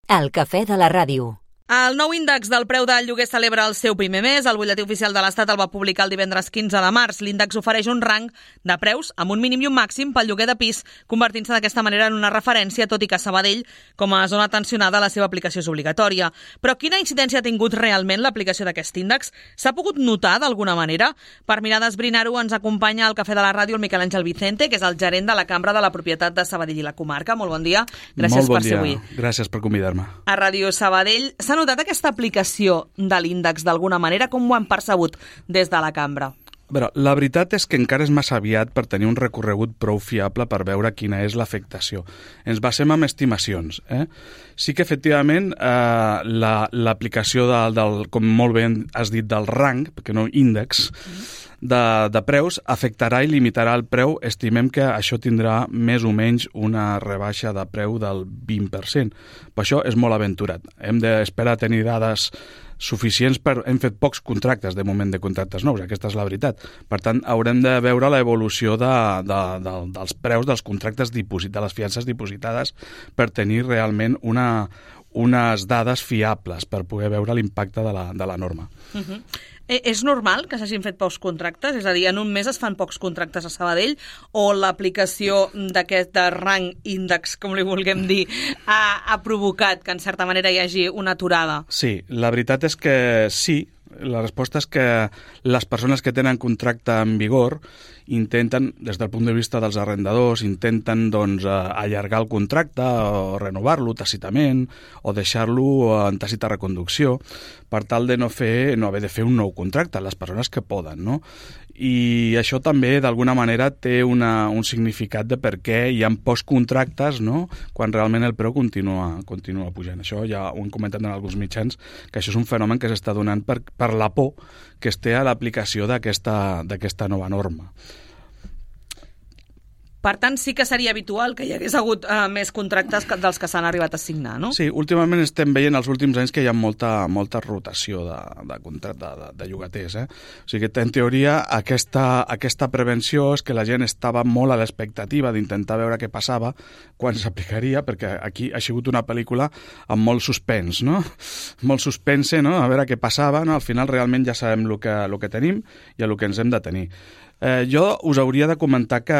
El cafè de la ràdio. El nou índex del preu del lloguer celebra el seu primer mes. El butlletí oficial de l'Estat el va publicar el divendres 15 de març. L'índex ofereix un rang de preus amb un mínim i un màxim pel lloguer de pis, convertint-se d'aquesta manera en una referència, tot i que Sabadell, com a zona tensionada, la seva aplicació és obligatòria. Però quina incidència ha tingut realment l'aplicació d'aquest índex? S'ha pogut notar d'alguna manera? Per mirar d'esbrinar-ho ens acompanya al cafè de la ràdio el Miquel Àngel Vicente, que és el gerent de la Cambra de la Propietat de Sabadell i la Comarca. Molt bon dia. Gràcies per ser avui. Gràcies per convidar-me. A Ràdio Sabadell. S'ha notat aquesta aplicació de l'índex d'alguna manera? Com ho han percebut des de la cambra? Però la veritat és que encara és massa aviat per tenir un recorregut prou fiable per veure quina és l'afectació. Ens basem en estimacions. Sí que, efectivament, l'aplicació del, com molt bé has dit, del rang, perquè no índex, de preus, afectarà i limitarà el preu. Estimem que això tindrà més o menys una rebaixa de preu del 20%. Per això és molt aventurat. Hem d'esperar tenir dades suficients hem fet pocs contractes de moment de contractes nous, aquesta és la veritat. Per tant, haurem de veure l'evolució dels preus dels contractes de les fiances dipositades per tenir realment unes dades fiables per poder veure l'impacte de la norma. És normal que s'hagin fet pocs contractes? És a dir, en un mes es fan pocs contractes a Sabadell o l'aplicació d'aquest rang índex, com li vulguem dir, ha provocat que en certa manera hi hagi una aturada? Sí, la veritat és que sí. La resposta és que les persones que tenen contracte en vigor intenten, des del punt de vista dels arrendadors, intenten allargar el contracte o renovar-lo tàcitament o deixar-lo en tàcita reconducció per tal de no haver de fer un nou contracte, les persones que poden, no? I això també, d'alguna manera, té un significat de per què hi ha pocs contractes, no?, quan realment el preu continua pujant. Això ja ho hem comentat en alguns mitjans, que això és un fenomen que s'està donant per la por que es té a l'aplicació d'aquesta nova norma. Per tant, sí que seria habitual que hi hagués hagut més contractes dels que s'han arribat a signar, no? Sí, últimament estem veient els últims anys que hi ha molta rotació de llogaters. O sigui que, en teoria, aquesta prevenció és que la gent estava molt a l'expectativa d'intentar veure què passava quan s'aplicaria, perquè aquí ha sigut una pel·lícula amb molt suspens, no? Molt suspense, no? A veure què passava, no? Al final realment ja sabem el que tenim i el que ens hem de tenir. Jo us hauria de comentar que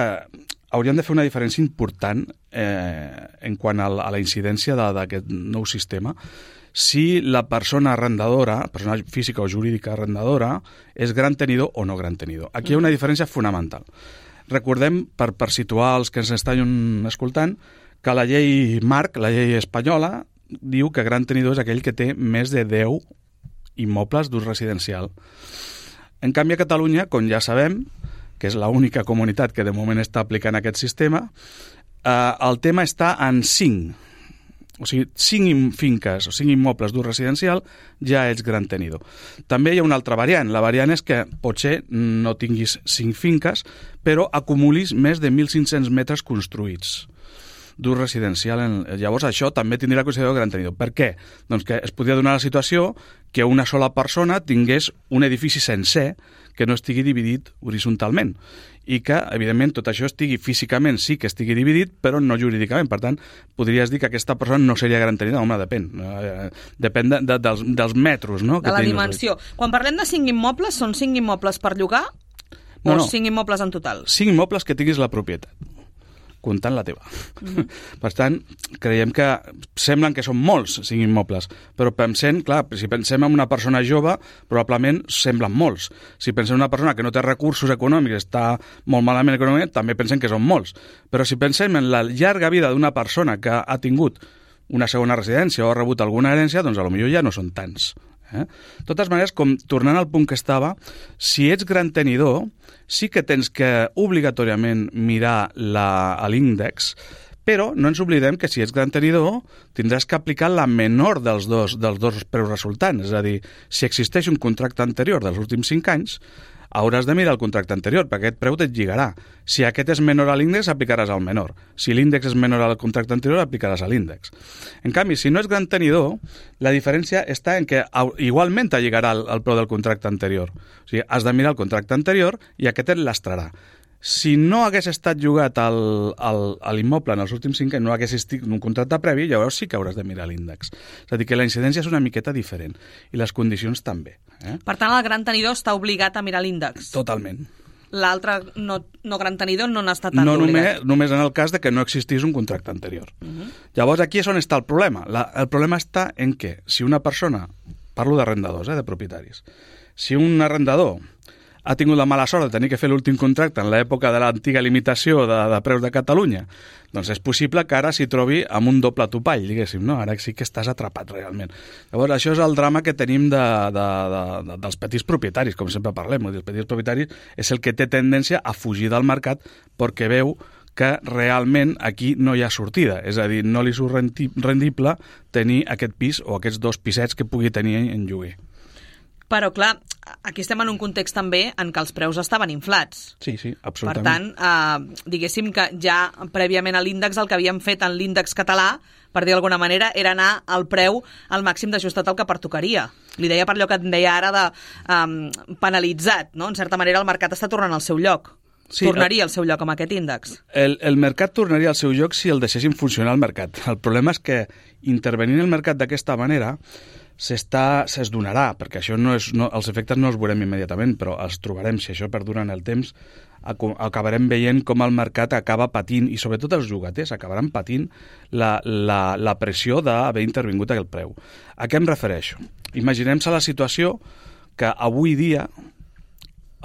hauríem de fer una diferència important en quant a la incidència d'aquest nou sistema. Si la persona arrendadora, persona física o jurídica arrendadora, és gran tenidor o no gran tenidor. Aquí hi ha una diferència fonamental. Recordem, per situar els que ens estan escoltant, que la llei marc, la llei espanyola, diu que gran tenidor és aquell que té més de 10 immobles d'ús residencial. En canvi, a Catalunya, com ja sabem, que és l'única comunitat que de moment està aplicant aquest sistema, el tema està en 5. O sigui, 5 finques o 5 immobles d'ús residencial ja ets gran tenidor. També hi ha una altra variant. La variant és que potser no tinguis 5 finques, però acumulis més de 1.500 metres construïts d'ús residencial. Llavors això també tindrà consideració de gran tenidor. Per què? Doncs que es podria donar la situació que una sola persona tingués un edifici sencer que no estigui dividit horitzontalment i que, evidentment, tot això estigui físicament, sí que estigui dividit, però no jurídicament. Per tant, podries dir que aquesta persona no seria gran tenidor. Home, depèn. Depèn dels metres, no? De la dimensió. Quan parlem de 5 immobles, són 5 immobles per llogar o 5 immobles en total? 5 immobles que tinguis la propietat, comptant la teva. Per tant, creiem que semblen que són molts 5 immobles, però pensem, clar, si pensem en una persona jove, probablement semblen molts. Si pensem en una persona que no té recursos econòmics, està molt malament econòmicament, també pensem que són molts. Però si pensem en la llarga vida d'una persona que ha tingut una segona residència o ha rebut alguna herència, doncs potser ja no són tants. De totes maneres, tornant al punt que estava, si ets gran tenidor, sí que tens que obligatòriament mirar l'índex, però no ens oblidem que si ets gran tenidor tindràs que aplicar la menor dels dos preus resultants. És a dir, si existeix un contracte anterior dels últims 5 anys, hauràs de mirar el contracte anterior, perquè aquest preu et lligarà. Si aquest és menor a l'índex, aplicaràs al menor. Si l'índex és menor al contracte anterior, aplicaràs a l'índex. En canvi, si no és gran tenidor, la diferència està en que igualment te lligarà el preu del contracte anterior. O sigui, has de mirar el contracte anterior i aquest et lastrarà. Si no hagués estat llogat a l'immoble en els últims 5 anys, no hagués estat un contracte previ, llavors sí que hauràs de mirar l'índex. És a dir, que la incidència és una miqueta diferent, i les condicions també. Per tant, el gran tenidor està obligat a mirar l'índex. Totalment. L'altre no gran tenidor no n'ha estat tan obligat. Només en el cas de que no existís un contracte anterior. Llavors, aquí és on està el problema. El problema està en què, si una persona, parlo d'arrendadors, de propietaris, si un arrendador ha tingut la mala sort de tenir que fer l'últim contracte en l'època de l'antiga limitació de preus de Catalunya, doncs és possible que ara s'hi trobi amb un doble topall, diguéssim, no? Ara sí que estàs atrapat realment. Llavors, això és el drama que tenim dels petits propietaris, com sempre parlem. Els petits propietaris és el que té tendència a fugir del mercat perquè veu que realment aquí no hi ha sortida, és a dir, no li surt rendible tenir aquest pis o aquests 2 pisets que pugui tenir en lloguer. Però, clar, aquí estem en un context també en què els preus estaven inflats. Sí, absolutament. Per tant, diguéssim que ja prèviament a l'índex el que havíem fet en l'índex català, per dir d'alguna manera, era anar al preu al màxim d'ajustat al que pertocaria. Li deia per allò que et deia ara de penalitzat, no? En certa manera el mercat està tornant al seu lloc. Sí, tornaria al seu lloc amb aquest índex. El mercat tornaria al seu lloc si el deixéssim funcionar al mercat. El problema és que intervenint el mercat d'aquesta manera es donarà, perquè això els efectes no els veurem immediatament, però els trobarem, si això perdura en el temps, acabarem veient com el mercat acaba patint, i sobretot els llogaters acabaran patint la pressió d'haver intervingut aquell preu. A què em refereixo? Imaginem-se la situació que avui dia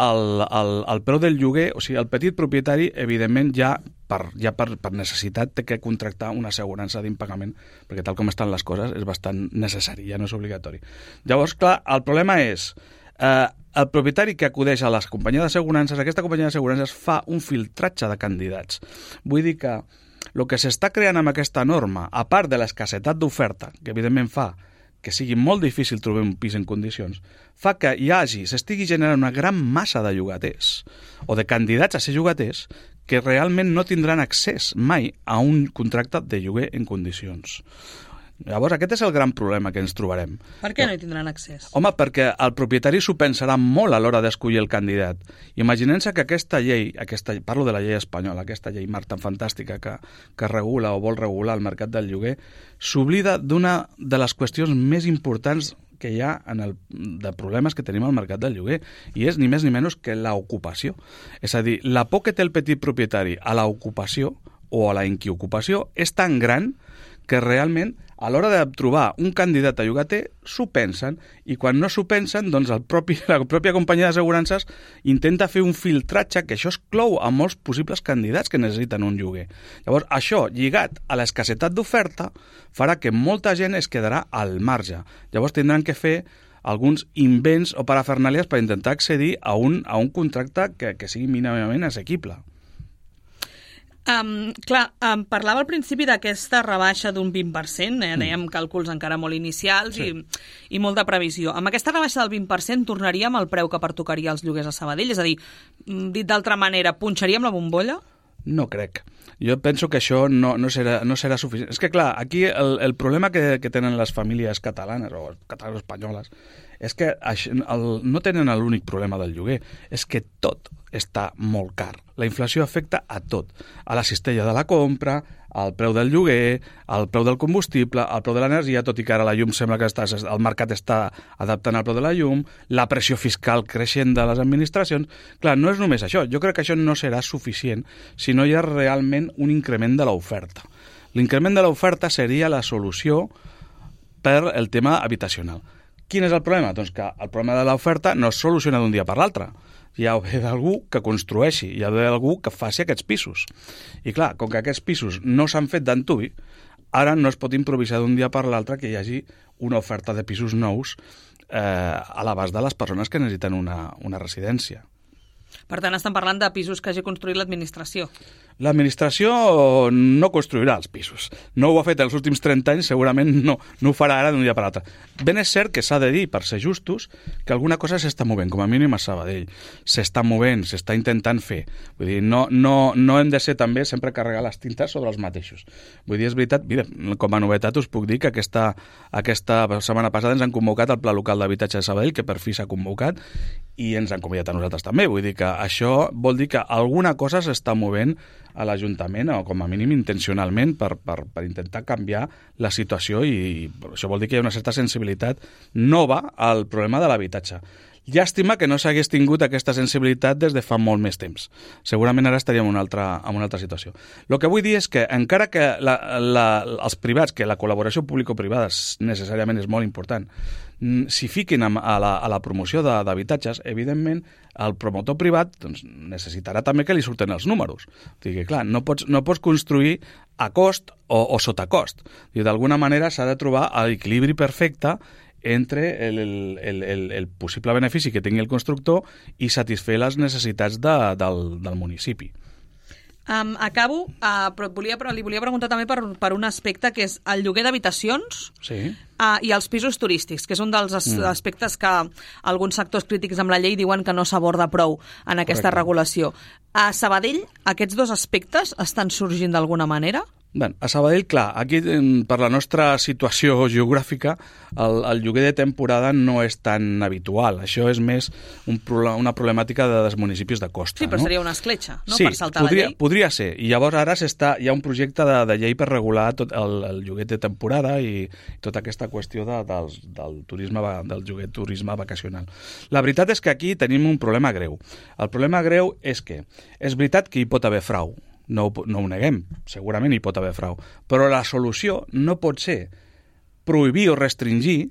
el preu del lloguer, o sigui, el petit propietari, evidentment, ja per necessitat té que contractar una assegurança d'impagament, perquè tal com estan les coses és bastant necessari, ja no és obligatori. Llavors, clar, el problema és el propietari que acudeix a les companyies d'assegurances, aquesta companyia d'assegurances fa un filtratge de candidats. Vull dir que el que s'està creant amb aquesta norma, a part de l'escassetat d'oferta, que evidentment fa que sigui molt difícil trobar un pis en condicions, fa que s'estigui generant una gran massa de llogaters o de candidats a ser llogaters que realment no tindran accés mai a un contracte de lloguer en condicions. Llavors, aquest és el gran problema que ens trobarem. Per què no hi tindran accés? Home, perquè el propietari s'ho pensarà molt a l'hora d'escollir el candidat. Imaginem-se que aquesta llei, parlo de la llei espanyola, aquesta llei tan fantàstica que regula o vol regular el mercat del lloguer, s'oblida d'una de les qüestions més importants que hi ha de problemes que tenim al mercat del lloguer, i és ni més ni menys que l'ocupació. És a dir, la por que té el petit propietari a l'ocupació o a la inquiocupació és tan gran que realment a l'hora de trobar un candidat a llogater s'ho pensen, i quan no s'ho pensen, doncs la pròpia companyia d'assegurances intenta fer un filtratge que això exclou a molts possibles candidats que necessiten un lloguer. Llavors, això, lligat a l'escassetat d'oferta, farà que molta gent es quedarà al marge. Llavors tindran que fer alguns invents o parafernàlies per intentar accedir a un contracte que sigui mínimament assequible. Parlava al principi d'aquesta rebaixa d'un 20%, dèiem càlculs encara molt inicials, sí, i molta previsió. Amb aquesta rebaixa del 20% tornaríem al preu que pertocaria als lloguers a Sabadell? És a dir, dit d'altra manera, punxaríem la bombolla? No crec. Jo penso que això no serà suficient. És que, clar, aquí el problema que tenen les famílies catalanes o espanyoles és que no tenen l'únic problema del lloguer, és que tot està molt car. La inflació afecta a tot, a la cistella de la compra, al preu del lloguer, al preu del combustible, al preu de l'energia, tot i que ara la llum sembla que el mercat està adaptant al preu de la llum, la pressió fiscal creixent de les administracions. Clar, no és només això. Jo crec que això no serà suficient si no hi ha realment un increment de l'oferta. L'increment de l'oferta seria la solució per el tema habitacional. Quin és el problema? Doncs que el problema de l'oferta no es soluciona d'un dia per l'altre. Hi ha d'algú que construeixi, hi ha d'algú que faci aquests pisos. I clar, com que aquests pisos no s'han fet d'antuvi, ara no es pot improvisar d'un dia per l'altre que hi hagi una oferta de pisos nous a l'abast de les persones que necessiten una residència. Per tant, estan parlant de pisos que hagi construït l'administració. L'administració no construirà els pisos. No ho ha fet els últims 30 anys, segurament no ho farà ara d'un dia per l'altre. Ben és cert que s'ha de dir, per ser justos, que alguna cosa s'està movent, com a mínim a Sabadell. S'està movent, s'està intentant fer. Vull dir, no hem de ser també sempre carregar les tintes sobre els mateixos. Vull dir, és veritat, mira, com a novetat us puc dir que aquesta setmana passada ens han convocat al Pla Local d'Habitatge de Sabadell, que per fi s'ha convocat, i ens han convidat a nosaltres també. Vull dir que això vol dir que alguna cosa s'està movent a l'Ajuntament, o com a mínim intencionalment, per intentar canviar la situació, i això vol dir que hi ha una certa sensibilitat nova al problema de l'habitatge. Llàstima que no s'hagués tingut aquesta sensibilitat des de fa molt més temps. Segurament ara estaríem en una altra situació. El que vull dir és que, encara que els privats, que la col·laboració público-privada necessàriament és molt important, s'hi fiquin a la promoció d'habitatges, evidentment el promotor privat doncs, necessitarà també que li surten els números. O sigui, clar, no pots construir a cost o sota cost. D'alguna manera s'ha de trobar l'equilibri perfecte entre el possible benefici que tingui el constructor i satisfer les necessitats del municipi. Acabo, però li volia preguntar també per un aspecte que és el lloguer d'habitacions, sí, i els pisos turístics, que és un dels aspectes que alguns sectors crítics amb la llei diuen que no s'aborda prou en aquesta regulació. A Sabadell, aquests dos aspectes estan sorgint d'alguna manera? Bé, a Sabadell, clar, aquí per la nostra situació geogràfica el lloguer de temporada no és tan habitual. Això és més una problemàtica dels municipis de costa. Sí, però no? Seria una escletxa, no? Sí, per saltar la llei. Podria ser. I llavors ara hi ha un projecte de llei per regular tot el lloguer de temporada i tota aquesta qüestió del turisme vacacional. La veritat és que aquí tenim un problema greu. El problema greu és que és veritat que hi pot haver frau. No ho neguem, segurament hi pot haver frau, però la solució no pot ser prohibir o restringir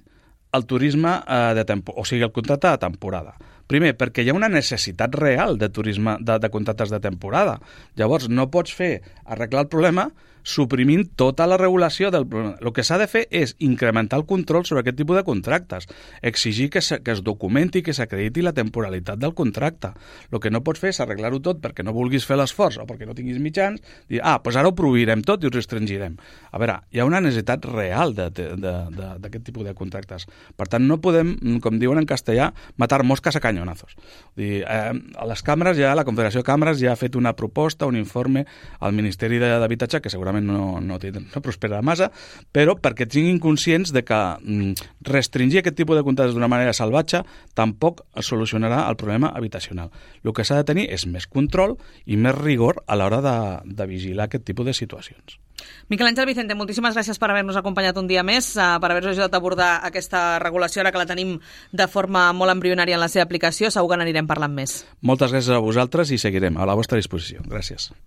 el turisme o sigui, el contracte de temporada. Primer, perquè hi ha una necessitat real de turisme de contractes de temporada. Llavors, no pots arreglar el problema suprimint tota la regulació del problema. El que s'ha de fer és incrementar el control sobre aquest tipus de contractes, exigir que es documenti, que s'acrediti la temporalitat del contracte. El que no pots fer és arreglar-ho tot perquè no vulguis fer l'esforç o perquè no tinguis mitjans, dir, doncs ara ho prohibirem tot i ho restringirem. A veure, hi ha una necessitat real d'aquest tipus de contractes. Per tant, no podem, com diuen en castellà, matar mosques a canyonazos. A les càmeres, la Confederació de Càmeres ja ha fet una proposta, un informe al Ministeri d'Habitatge, que segurament no prosperarà massa, però perquè tinguin conscients de que restringir aquest tipus de contractes d'una manera salvatge tampoc solucionarà el problema habitacional. El que s'ha de tenir és més control i més rigor a l'hora de vigilar aquest tipus de situacions. Miquel Àngel Vicente, moltíssimes gràcies per haver-nos acompanyat un dia més, per haver-nos ajudat a abordar aquesta regulació, ara que la tenim de forma molt embrionària en la seva aplicació. Segur que n'anirem parlant més. Moltes gràcies a vosaltres i seguirem a la vostra disposició. Gràcies.